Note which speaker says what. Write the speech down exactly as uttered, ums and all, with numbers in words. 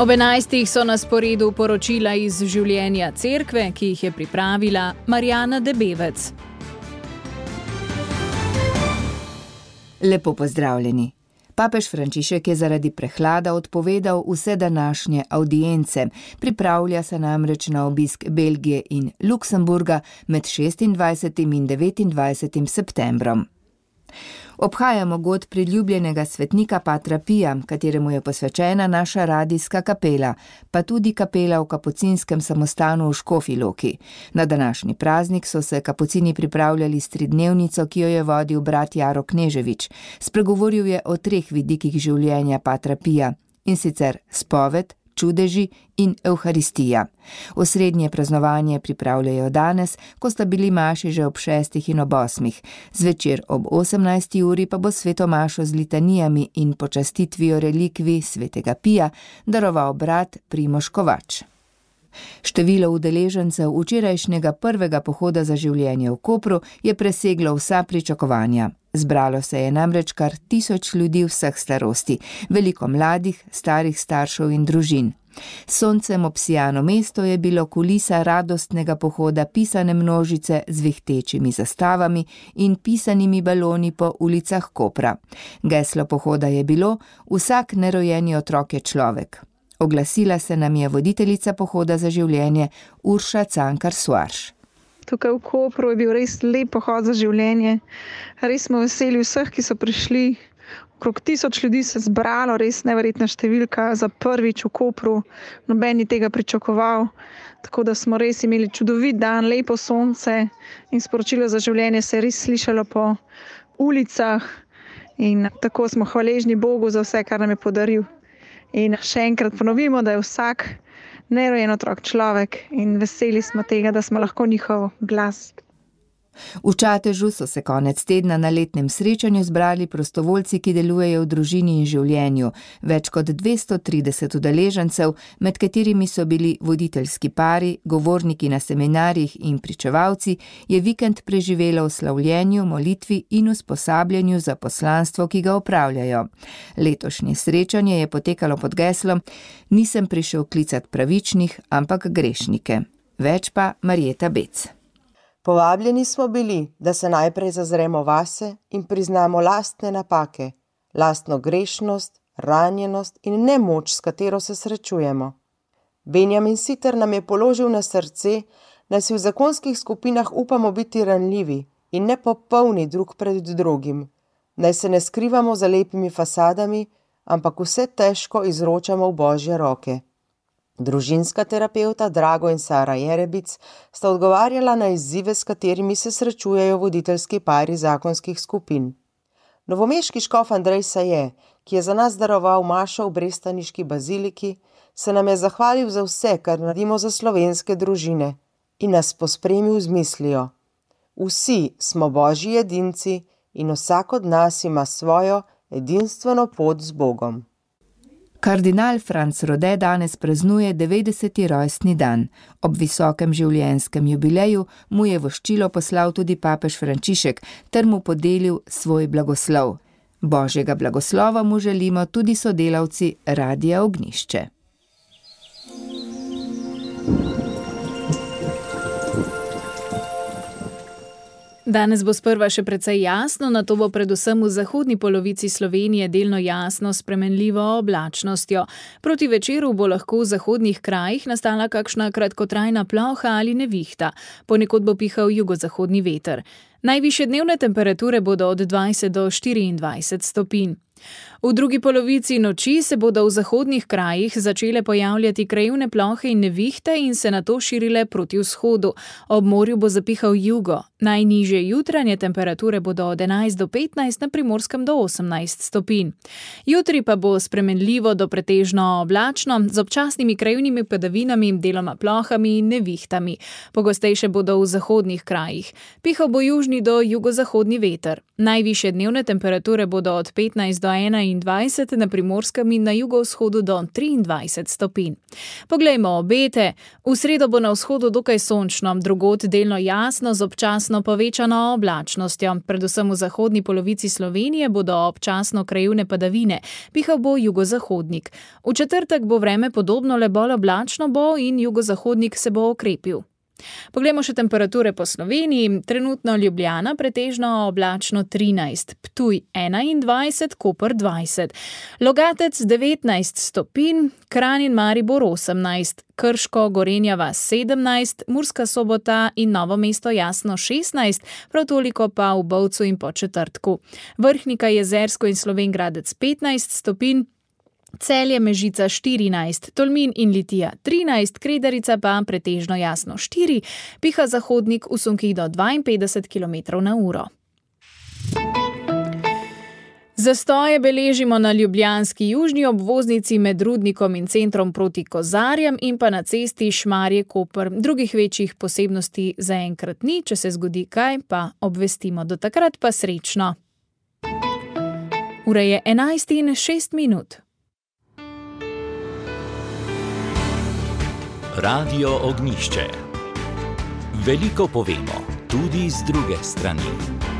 Speaker 1: Ob enajstih so na sporedu poročila iz življenja cerkve, ki jih je pripravila Marjana Debevec.
Speaker 2: Lepo pozdravljeni. Papež Frančišek je zaradi prehlada odpovedal vse današnje avdience. Pripravlja se namreč na obisk Belgije in Luksemburga med šestindvajsetim in devetindvajsetim septembrom. Obhajamo god priljubljenega svetnika Patra Pija, kateremu je posvečena naša radijska kapela, pa tudi kapela v kapucinskem samostanu v Škofji Loki. Na današnji praznik so se kapucini pripravljali s tridnevnico, ki jo je vodil brat Jaro Kneževič. Spregovoril je o treh vidikih življenja Patra Pija, in sicer spoved, čudeži in evharistija. Osrednje praznovanje pripravljajo danes, ko sta bili maši že ob šestih in ob osmih. Zvečer ob osemnajsti uri pa bo sveto mašo z litanijami in počastitvijo relikvij svetega Pija daroval brat Primož Kovač. Število udeležencev včerajšnjega prvega pohoda za življenje v Kopru je preseglo vsa pričakovanja. Zbralo se je namreč kar tisoč ljudi vseh starosti, veliko mladih, starih staršev in družin. Soncem obsijano mesto je bilo kulisa radostnega pohoda pisane množice z vihtečimi zastavami in pisanimi baloni po ulicah Kopra. Geslo pohoda je bilo: vsak nerojeni otrok je človek. Oglasila se nam je voditeljica pohoda za življenje Urša Cankar-Suarš.
Speaker 3: Tukaj v Kopru je bil res lep pohod za življenje. Res smo veseli vseh, ki so prišli. Okrog tisoč ljudi se zbralo, res neverjetna številka za prvič v Kopru. Noben ni tega pričakoval. Tako da smo res imeli čudovit dan, lepo sonce in sporočilo za življenje se je res slišalo po ulicah. In tako smo hvaležni Bogu za vse, kar nam je podaril. In še enkrat ponovimo, da je vsak nerojen otrok človek in veseli smo tega, da smo lahko njihov glas.
Speaker 2: V Čatežu so se konec tedna na letnem srečanju zbrali prostovoljci, ki delujejo v družini in življenju. Več kot dvesto trideset udeležencev, med katerimi so bili voditeljski pari, govorniki na seminarjih in pričevalci, je vikend preživelo v slavljenju, molitvi in usposabljanju za poslanstvo, ki ga opravljajo. Letošnje srečanje je potekalo pod geslom: Nisem prišel klicat pravičnih, ampak grešnike. Več pa Marjeta Bec.
Speaker 4: Povabljeni smo bili, da se najprej zazremo vase in priznamo lastne napake, lastno grešnost, ranjenost in nemoč, s katero se srečujemo. Benjamin Siter nam je položil na srce, da si v zakonskih skupinah upamo biti ranljivi in nepopolni drug pred drugim, naj se ne skrivamo za lepimi fasadami, ampak vse težko izročamo v Božje roke. Družinska terapeuta Drago in Sara Jerebic sta odgovarjala na izzive, s katerimi se srečujejo voditeljski pari zakonskih skupin. Novomeški škof Andrej Saje, ki je za nas daroval mašo v brestaniški baziliki, se nam je zahvalil za vse, kar naredimo za slovenske družine in nas pospremil z mislijo: vsi smo Božji edinci in vsak od nas ima svojo edinstveno pot z Bogom.
Speaker 2: Kardinal Franc Rode danes praznuje devetdeseti rojstni dan. Ob visokem življenjskem jubileju mu je voščilo poslal tudi papež Frančišek ter mu podelil svoj blagoslov. Božjega blagoslova mu želimo tudi sodelavci Radia Ognjišče.
Speaker 1: Danes bo sprva še precej jasno, nato bo predvsem v zahodni polovici Slovenije delno jasno s spremenljivo oblačnostjo. Proti večeru bo lahko v zahodnih krajih nastala kakšna kratkotrajna ploha ali nevihta. Ponekod bo pihal jugozahodni veter. Najvišje dnevne temperature bodo od dvajset do štiriindvajset stopinj. V drugi polovici noči se bodo v zahodnih krajih začele pojavljati krajevne plohe in nevihte in se nato širile proti vzhodu. Ob morju bo zapihal jugo. Najnižje jutranje temperature bodo od enajst do petnajst, na Primorskem do osemnajst stopinj. Jutri pa bo spremenljivo do pretežno oblačno, z občasnimi krajevnimi padavinami, deloma plohami in nevihtami. Pogostejše bodo v zahodnih krajih. Pihal bo južni do jugozahodni veter. Najvišje dnevne temperature bodo od petnajst do enainštirideset enaindvajset, na Primorskem in na jugovzhodu do triindvajset stopinj. Poglejmo obete. V sredo bo na vzhodu dokaj sončno, drugod delno jasno z občasno povečano oblačnostjo. Predvsem v zahodni polovici Slovenije bodo občasno krajevne padavine, pihal bo jugozahodnik. V četrtek bo vreme podobno, le bolj oblačno bo in jugozahodnik se bo okrepil. Poglejmo še temperature po Sloveniji. Trenutno Ljubljana pretežno oblačno trinajst, Ptuj enaindvajset, Koper dvajset, Logatec devetnajst stopinj, Kranj in Maribor osemnajst, Krško, Gorenja vas sedemnajst, Murska Sobota in Novo mesto jasno šestnajst, prav toliko pa v Bovcu in Podčetrtku. Vrhnika, Jezersko in Slovenj Gradec petnajst stopinj, Celje, Mežica štirinajst, Tolmin in Litija trinajst, Kredarica pa pretežno jasno štiri, piha zahodnik v sunkih do dvainpetdeset kilometrov na uro. Zastoje beležimo na ljubljanski južni obvoznici med Rudnikom in centrom proti Kozarjem in pa na cesti Šmarje-Koper. Drugih večjih posebnosti zaenkrat ni, če se zgodi kaj, pa obvestimo. Do takrat pa srečno. Ura je enajst in šest minut.
Speaker 5: Radio Ognjišče. Veliko povemo, tudi z druge strani.